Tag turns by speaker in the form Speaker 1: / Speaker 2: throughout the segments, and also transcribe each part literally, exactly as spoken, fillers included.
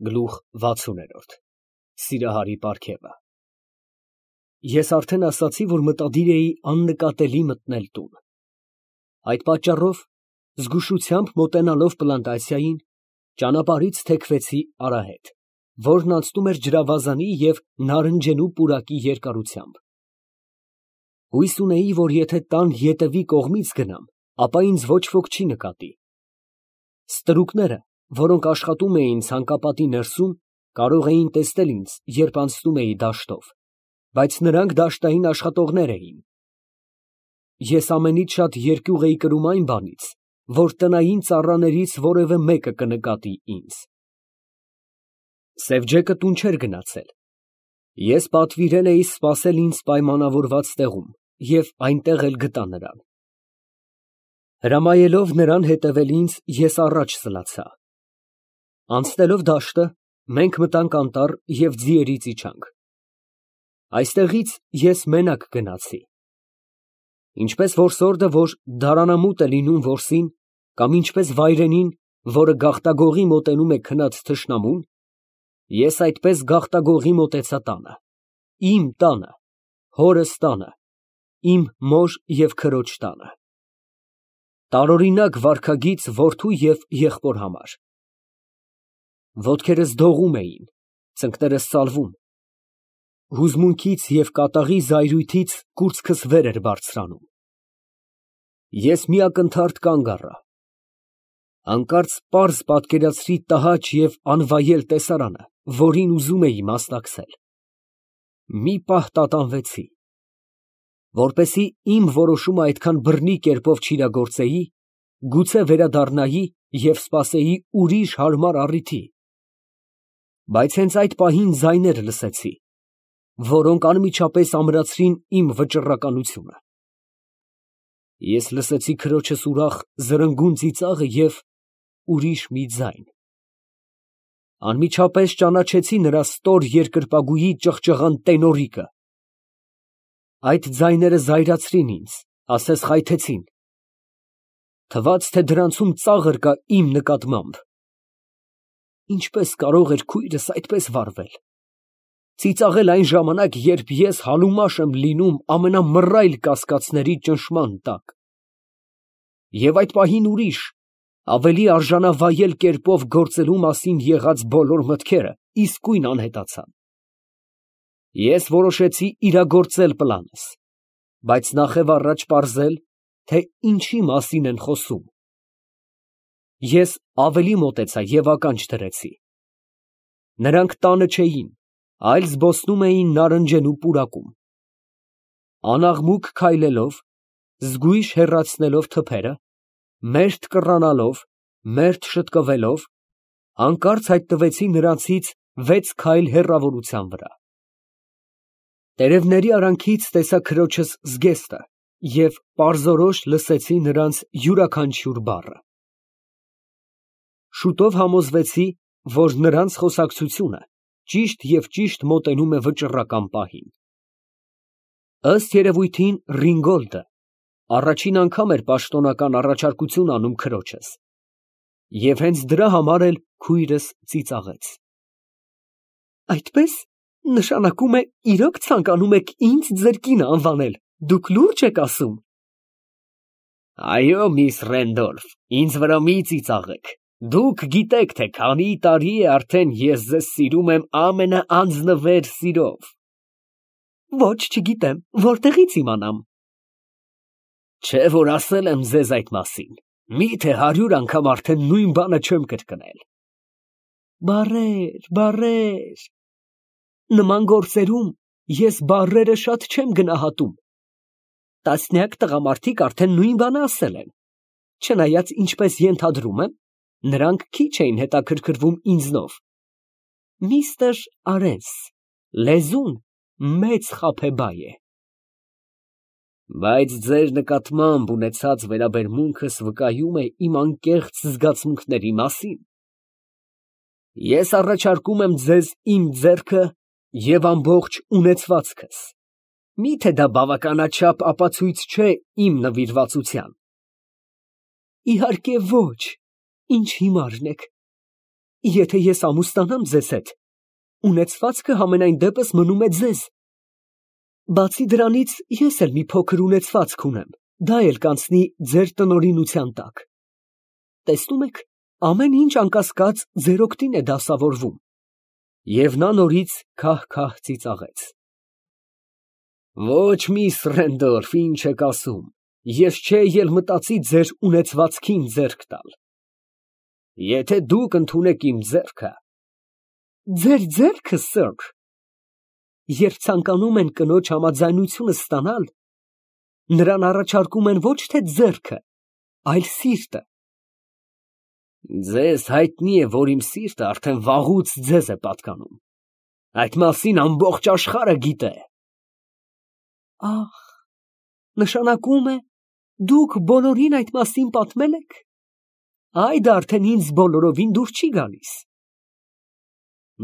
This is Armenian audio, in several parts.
Speaker 1: Գլուխ վաթսուն։ Սիրահարի պարգևը։ Ես արդեն ասացի, որ մտադիր էի աննկատելի մտնել տուն. այդ պատճառով, զգուշությամբ մոտենալով պլանտացիային, ճանապարհից թեքվեցի արահետ, որն անցնում էր ջրավազանի և նարնջենու պուրակի երկարությամբ։ Հույս ունեի, որ եթե տան ետևի կողմից գնամ, ապա ինձ ոչ ոք չի նկատի։ Ստրուկները, որոնք աշխատում էին ցանկապատի ներսում, կարող էին տեսնել ինձ, երբ անցնում էի դաշտով, բայց նրանք դաշտային աշխատողներ էին։ Ես ամենից շատ երկյուղ էի կրում այն բանից, որ տնային ծառաներից որևէ մեկը կնկատի ինձ։ Սևջեկը տուն չէր գնացել։ Ես պատվիրել էի սպասել ինձ պայմանավորված տեղում և այնտեղ էլ գտա նրան։ Հրամայելով նրան հետևել ինձ, ես առաջ սլացա։ Անցնելով դաշտը, մենք մտանք անտառ և ձիերից իջանք։ Այստեղից ես մենակ գնացի։ Ինչպես որսորդը, որ դարանամուտ է լինում որսին, կամ ինչպես վայրենին, որը գաղտագողի մոտենում է քնած թշնամուն, ես այդպես գաղտագողի մոտեցա տանը, իմ տանը, հորս տանը, իմ մոր և քրոջ տանը։ Տարօրինակ վարքագիծ որդու և եղբոր համար։ Ոտքերս դողում էին, ծնկներս սալվում, հուզմունքից և կատաղի զայրույթից կուրծքս վեր էր բարձրանում։ Ես մի ակնթարթ կանգ առա։ Հանկարծ պարզ պատկերացրի տհաճ և անվայել տեսարանը, որին ուզում էի մասնակցել։ Մի պահ տատանվեցի։ Որպեսզի իմ որոշումը այդքան բռնի կերպով չիրագործեի, գուցե վերադառնայի և սպասեի ուրիշ հարմար առիթի։ Բայց հենց այդ պահին ձայներ լսեցի, որոնք անմիջապես ամրացրին իմ վճռականությունը։ Ես լսեցի քրոջս ուրախ զրնգուն ծիծաղը և ուրիշ մի ձայն։ Անմիջապես ճանաչեցի նրա ստոր երկրպագուի ճղճղան տենորիկը։ Այդ ձայները զայրացրին ինձ, ասես խայթեցին։ Թվաց, թե դրանցում ծաղր կա իմ նկատմամբ։ Ինչպե՞ս կարող էր քույրս այդպես վարվել։ Ծիծաղել այն ժամանակ, երբ ես համեմաշ եմ լինում ամենամռայլ կասկածների ճնշման տակ։ Եվ այդ պահին ուրիշ, ավելի արժանավայել կերպով գործելու մասին եղած բոլոր մտքերը իսկույն անհետացան։ Ես որոշեցի իրագործել պլանս, բայց նախևառաջ պարզել, թե ինչի մասին են խոսում։ Ես ավելի մոտեցա և ականջ դրեցի։ Նրանք տանը չէին, այլ զբոսնում էին նարնջենու պուրակում։ Անաղմուկ քայլելով, զգույշ հեռացնելով թփերը, մերթ կռանալով, մերթ շտկվելով, հանկարծ հայտնվեցի նրանցից վեց քայլ հեռավորության վրա։ Տերևների արանքից տեսա քրոջս զգեստը և պարզորոշ լսեցի նրանց յուրաքանչյուր բառը։ Շուտով համոզվեցի, որ նրանց խոսակցությունը ճիշտ և ճիշտ մոտենում է վճռական պահին։ Ըստ երևույթին Ռինգոլդը առաջին անգամ էր պաշտոնական առաջարկություն անում քրոջս, և հենց դրա համար էլ քույրս ծիծաղեց։ Այդպե՞ս, նշանակում է իրոք ցանկանում եք ինձ ձեր կինը անվանել, դուք լուրջ եք ասում։ Այո, միս Ռենդոլֆ, ինձ վրա մի ծիծաղեք, դուք գիտեք, թե քանի տարի է արդեն ես ձեզ սիրում եմ ամենաանձնվեր սիրով։ Ոչ, չգիտեմ, որտեղի՞ց իմանամ։ Չէ՞ որ ասել եմ ձեզ այդ մասին, միթե հարյուր անգամ արդեն նույն բանը չեմ կրկնել։ Բառեր, բառեր։ Նման գործերում ես բառերը շատ չեմ գնահատում։ Տասնյակ տղամարդիկ արդեն նույն բանը ասել են, չնայած ինչպես ենթադրում եմ, նրանք քիչ էին հետաքրքրվում ինձնով։ Միստր Արենս, լեզուն մեծ խաբեբայ է։ Բայց ձեր նկատմամբ ունեցած վերաբերմունքս վկայում է իմ անկեղծ զգացմունքների մասին։ Ես առաջարկում եմ ձեզ իմ ձեռքը և ամբողջ ունեցվածքս։ Մի՞թե դա բավականաչափ ապացույց չէ իմ նվիրվածության։ Իհարկե ոչ, ինչ հիմարն եք։ Եթե ես ամուսնանամ ձեզ հետ, ունեցվածքը համենայն դեպս մնում է ձեզ։ Բացի դրանից, ես էլ մի փոքր ունեցվածք ունեմ, դա էլ կանցնի ձեր տնօրինության տակ։ Տեսնում եք, ամեն ինչ անկասկած ձեր օգտին է դասավորվում։ Եվ նա նորից քահ-քահ ծիծաղեց։ Ոչ, միս Ռենդոլֆ, ինչ եք ասում, ես չէի էլ մտածի ձեր ունեցվածքին ձեռք տալ։ Եթե դուք ընդունեք իմ ձեռքը… Ձեր ձեռքը, սըր, երբ ցանկանում են կնոջ համաձայնությունը ստանալ, նրան առաջարկում են ոչ թե ձեռքը, այլ սիրտը։ Ձեզ հայտնի է, որ իմ սիրտը արդեն վաղուց ձեզ է պատկանում։ Այդ մասին ամբողջ աշխարհը գիտե։ Ահ, նշանակում է, դուք բոլորին այդ մասին պատմել եք։ Այդ արդեն ինձ բոլորովին դուր չի գալիս։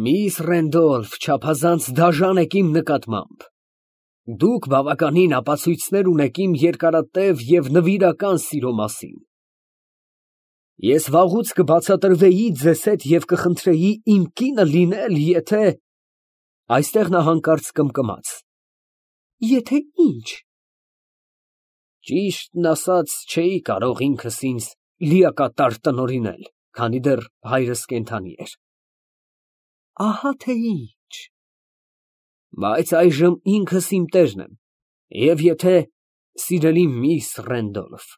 Speaker 1: Միս Ռենդոլֆ, չափազանց դաժան եք իմ նկատմամբ։ Դուք բավականին ապացույցներ ունեք իմ երկարատև և նվիրական սիրո մասին։ Ես վաղուց կբացատրվեի ձեզ հետ և կխնդրեի իմ կինը լինել, եթե… Այստեղ նա հանկարծ կմկմաց։ Եթե ինչ։ Ճիշտն ասած, չէի կարող ինքս ինձ լիակատար տնօրինել, քանի դեռ հայրս կենդանի էր։ Ահա թե ինչ։ Բայց այժմ ինքս իմ տերն եմ, և եթե, սիրելի միս Ռենդոլֆ,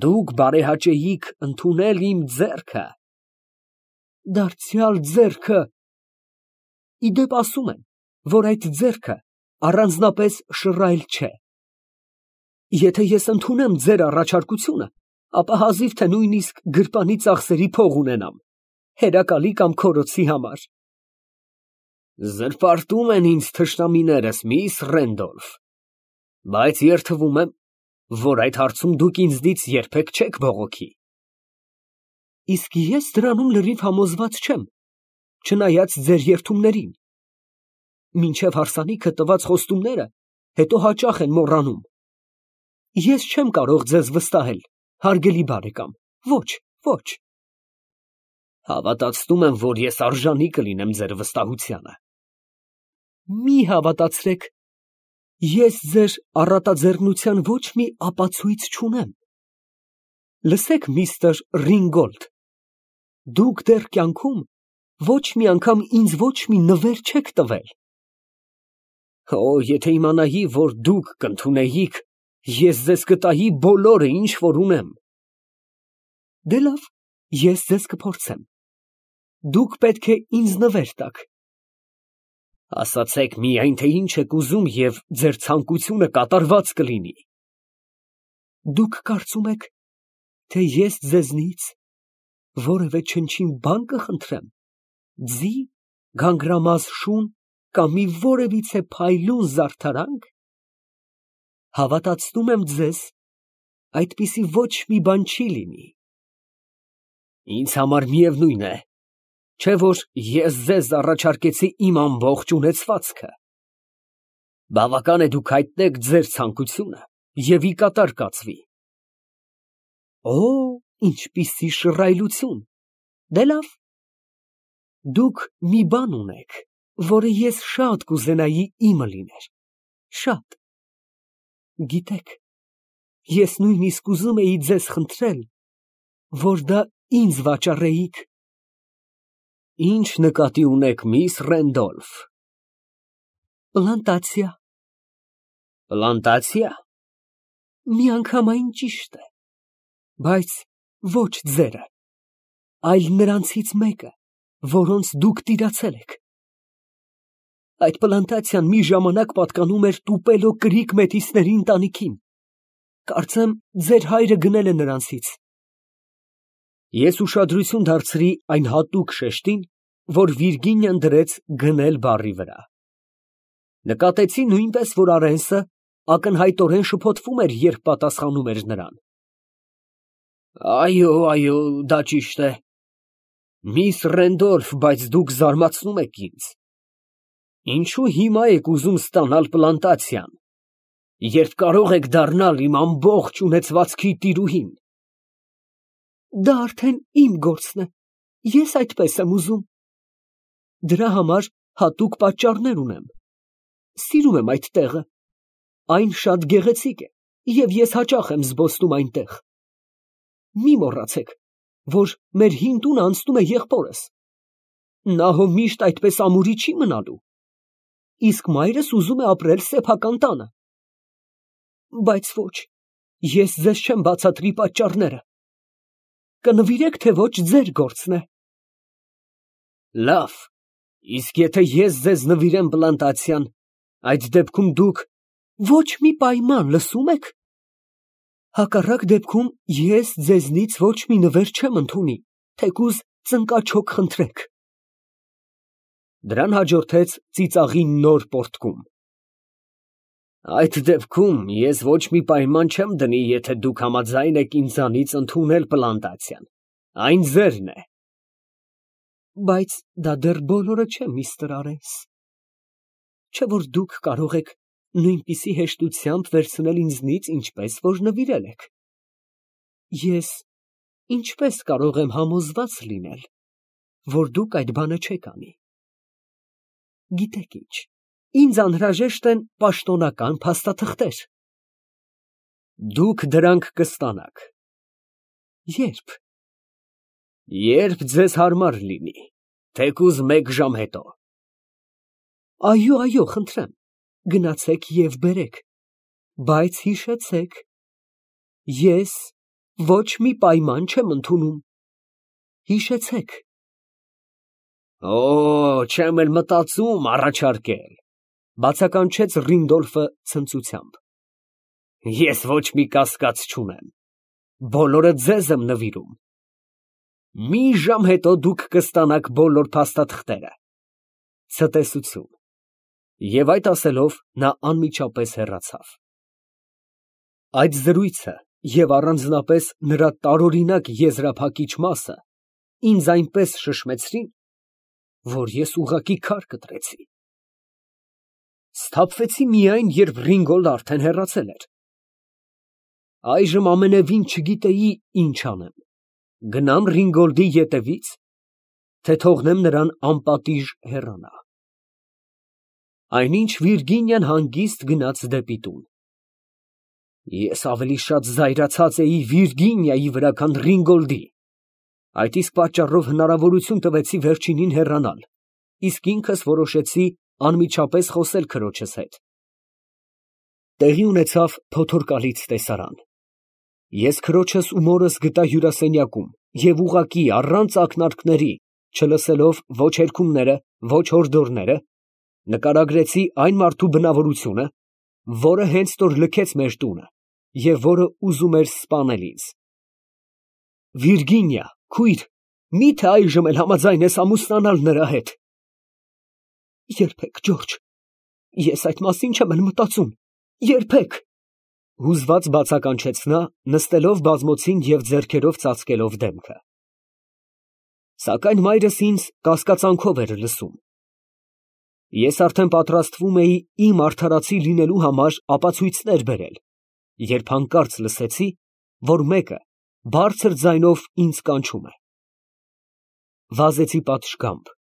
Speaker 1: դուք բարեհաճեիք ընդունել իմ ձեռքը… Դարձյալ ձեռքը… Ի դեպ ասում են, որ այդ ձեռքը առանձնապես շռայլ չէ։ Եթե ես ընդունեմ ձեր առաջարկությունը, ապա հազիվ թե նույնիսկ գրպանի ծախսերի փող ունենամ, հերակալի կամ քորոցի համար։ Զրպարտում են ինձ թշնամիներս, միս Ռենդոլֆ, բայց երդվում եմ, որ այդ հարցում դուք ինձնից երբեք չեք բողոքի։ Իսկ ես դրանում լրիվ համոզված չեմ, չնայած ձեր երդումներին։ Մինչև հարսանիքը տված խոստումները հետո հաճախ են մոռանում։ Ես չեմ կարող ձեզ վստահել, հարգելի բարեկամ, ոչ, ոչ։ Հավատացնում եմ, որ ես արժանի կլինեմ ձեր վստահությանը։ Մի հավատացրեք, ես ձեր առատաձեռնության ոչ մի ապացույց չունեմ։ Լսեք, միստր Ռինգոլդ, դուք դեռ կյանքում ոչ մի անգամ ինձ ոչ մի նվեր չեք տվել։ Օ, եթե իմանայի, որ դուք կընդունեիք, ես ձեզ կտայի բոլորը, ինչ որ ունեմ։ Դե լավ, ես ձեզ կփորձեմ։ Դուք պետք է ինձ նվեր տաք։ Ասացեք միայն, թե ինչ եք ուզում, և ձեր ցանկությունը կատարված կլինի։ Դուք կարծում եք, թե ես ձեզնից որևէ չնչին բան կխնդրեմ, ձի, գանգրամազ շուն կամ մի որևիցե փայլուն զարդարանք։ Հավատացնում եմ ձեզ, այդպիսի ոչ մի բան չի լինի։ Ինձ համար միևնույն է, չէ՞ որ ես ձեզ առաջարկեցի իմ ամբողջ ունեցվածքը։ Բավական է դուք հայտնեք ձեր ցանկությունը և ի կատար կացվի։ Օ, ինչպիսի շռայլություն։ Դե լավ։ Դուք մի բան ունեք, որը ես շատ կուզենայի իմը լիներ, շատ։ Գիտեք, ես նույնիսկ ուզում էի ձեզ խնդրել, որ դա ինձ վաճառեիք։ Ինչ նկատի ունեք, միս Ռենդոլֆ։ Պլանտացիա։ Պլանտացիա։ Միանգամայն ճիշտ է, բայց ոչ ձերը, այլ նրանցից մեկը, որոնց դուք տիրացել եք։ Այդ պլանտացիան մի ժամանակ պատկանում էր Տուպելո կրիք մեթիսների ընտանիքին։ Կարծեմ, ձեր հայրը գնել է նրանցից։ Ես ուշադրություն դարձրի այն հատուկ շեշտին, որ Վիրգինիան դրեց գնել բառի վրա։ Նկատեցի նույնպես, որ Արենսը ակնհայտորեն շփոթվում էր, երբ պատասխանում էր նրան։ Այո, այո, դա ճիշտ է։ Միս Ռենդոլֆ, բայց դուք զարմացնում եք ինձ։ Ինչու հիմա եք ուզում ստանալ պլանտացիան, երբ կարող եք դառնալ իմ ամբողջ ունեցվածքի տիրուհին։ Դա արդեն իմ գործն է, Ես այդպես եմ ուզում։ Դրա համար հատուկ պատճառներ ունեմ։ Սիրում եմ այդ տեղը։ Այն շատ գեղեցիկ է, և ես հաճախ եմ զբոսնում այնտեղ։ Մի մոռացեք, որ մեր հին տունը անցնում է եղբորս։ Նա հո միշտ այդպես ամուրի չի մնալու։ Իսկ մայրս ուզում է ապրել սեփական տանը։ Բայց ոչ, ես ձեզ չեմ բացատրի պատճառները։ Կնվիրեք, թե ոչ, ձեր գործն է։ Լավ, իսկ եթե ես ձեզ նվիրեմ պլանտացիան, այդ դեպքում դուք ոչ մի պայման, լսում եք։ Հակառակ դեպքում ես ձեզնից ոչ մի նվեր չեմ ընդունի, թեկուզ ծնկաչոք խնդրեք։ Դրան հաջորդեց ծիծաղի նոր պոռթկում։ Այդ դեպքում ես ոչ մի պայման չեմ դնի, եթե դուք համաձայն եք ինձանից ընդունել պլանտացիան, այն ձերն է։ Բայց դա դեռ բոլորը չէ, միստր Արենս։ Չէ՞ որ դուք կարող եք նույնպիսի հեշտությամբ վերցնել ինձնից, ինչպես որ նվիրել եք։ Ես ինչպես կարող եմ համոզված լինել, որ դուք այդ բանը չեք անի։ Գիտեք ինչ, ինձ անհրաժեշտ են պաշտոնական փաստաթղթեր։ Դուք դրանք կստանաք։ Ե՞րբ։ Երբ ձեզ հարմար լինի, թեկուզ մեկ ժամ հետո։ Այո, այո, խնդրեմ, գնացեք և բերեք, բայց հիշեցեք, ես ոչ մի պայման չեմ ընդունում։ Հիշեցեք։ Օ, չեմ էլ մտածում առաջարկել, բացականչեց Ռինդոլֆը ցնծությամբ։ Ես ոչ մի կասկած չունեմ, բոլորը ձեզ եմ նվիրում։ Մի ժամ հետո դուք կստանաք բոլոր փաստաթղթերը։ Ցտեսություն։ Եվ այդ ասելով նա անմիջապես հեռացավ։ Այդ զրույցը և առանձնապես նրա տարօրինակ եզրափակիչ մասը ինձ այնպես շշմեցրին, որ ես ուղղակի քար կտրեցի։ Սթափվեցի միայն, երբ Ռինգոլդը արդեն հեռացել էր։ Այժմ ամենևին չգիտեի ինչ անեմ. գնամ Ռինգոլդի ետևից, թե թողնեմ նրան անպատիժ հեռանա։ Այնինչ Վիրգինիան հանգիստ գնաց դեպի տուն։ Ես ավելի շատ զայրացած էի Վիրգինիայի վրա, քան Ռինգոլդի։ Այդ իսկ պատճառով հնարավորություն տվեցի վերջինին հեռանալ, իսկ ինքս որոշեցի անմիջապես խոսել քրոջս հետ։ Տեղի ունեցավ փոթորկալից տեսարան։ Ես քրոջս ու մորս գտա հյուրասենյակում և ուղղակի առանց ակնարկների, չլսելով ոչ հերքումները, ոչ հորդորները, նկարագրեցի այն մարդու բնավորությունը, որը հենց որ լքեց մեր տունը և որը ուզում էր սպանել ինձ։ Վիրգինիա, քույր, մի՞թե այժմ էլ համաձայն ես ամուսնանալ նրա հետ։ Երբեք, Ջորջ, ես այդ մասին չեմ էլ մտածում, երբեք, հուզված բացականչեց նա, նստելով բազմոցին և ձեռքերով ծածկելով դեմքը։ Սակայն մայրս ինձ կասկածանքով էր լսում։ Ես արդեն պատրաստվում էի իմ արդարացի լինելու համար ապացույցներ բերել, երբ հանկարծ լսեցի, որ մեկը բարձր ձայնով ինձ կանչում է։ Վազեցի պատշգամբ։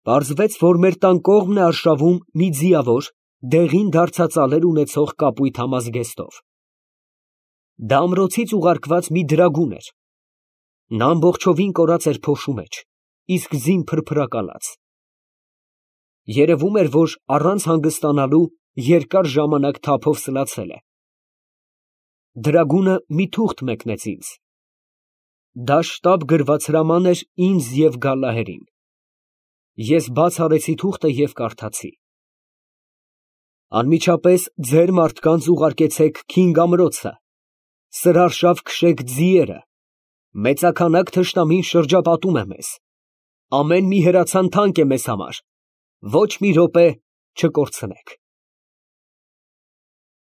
Speaker 1: Պարզվեց, որ մեր տան կողմն է արշավում մի ձիավոր, դեղին դարձածալեր ունեցող կապույտ համազգեստով։ Դա ամրոցից ուղարկված մի դրագուն էր։ Նա ամբողջովին կորած էր փոշու մեջ, իսկ ձին փրփրակալած։ Երևում էր, որ առանց հանգստանալու երկար ժամանակ թափով սլացել է։ Դրագունը մի թուղթ մեկնեց ինձ։ Դա շտապ գրված հրաման էր ինձ և Գալլահերին։ Ես բաց արեցի թուղթը և կարդացի. Անմիջապես ձեր մարդկանց ուղարկեցեք Քինգ ամրոցը, սրարշավ քշեք ձիերը, մեծաքանակ թշնամին շրջապատում է մեզ, ամեն մի հրացան թանկ է մեզ համար, ոչ մի րոպե չկորցնեք։